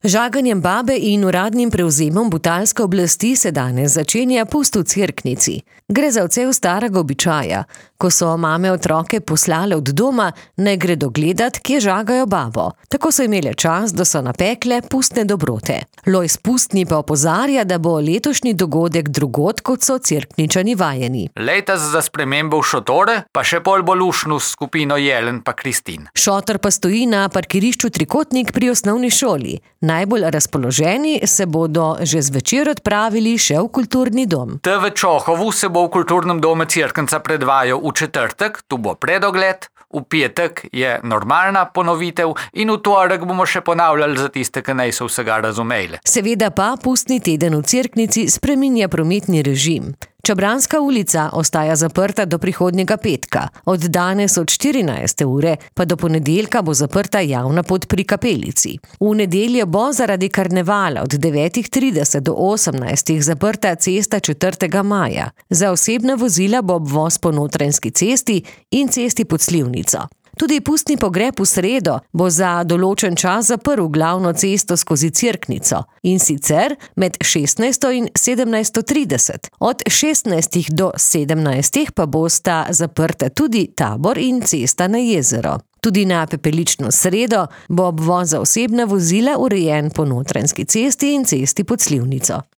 Žaganjem babe in uradnim prevzemom butalske oblasti se danes začenja pust v Cerknici. Gre za odsev starega običaja. Ko so mame otroke poslale od doma, ne gredo gledat, kje žagajo babo. Tako so imele čas, da so napekle pustne dobrote. Lojz Pustni pa opozarja, da bo letošnji dogodek drugod, kot so Cerkničani vajeni. Letos za spremembo v šotore, pa še bolj lušnu skupino Jelen pa Kristin. Šotor pa stoji na parkirišču Trikotnik pri osnovni šoli. Najbolj razpoloženi se bodo že zvečer odpravili še v kulturni dom. V Čohovu se bo v kulturnem domu Cerknica predvajal v četrtek, tu bo predogled, v petek je normalna ponovitev in v torek bomo še ponavljali za tiste, ki niso vsega razumeli. Seveda pa pustni teden v Cerknici spreminja prometni režim. Čabranska ulica ostaja zaprta do prihodnjega petka. Od danes od 14. ure pa do ponedeljka bo zaprta javna pot pri Kapelici. V nedeljo bo zaradi karnevala od 9:30 do 18. zaprta cesta 4. maja. Za osebna vozila bo obvoz po Notranjski cesti in cesti pod Slivnico. Tudi pustni pogreb v sredo bo za določen čas zaprl glavno cesto skozi Cerknico, in sicer med 16. in 17:30. Od 16. do 17. pa bosta zaprta tudi Tabor in cesta na jezero. Tudi na pepelično sredo bo obvoz za osebna vozila urejen po Notranjski cesti in cesti pod Slivnico.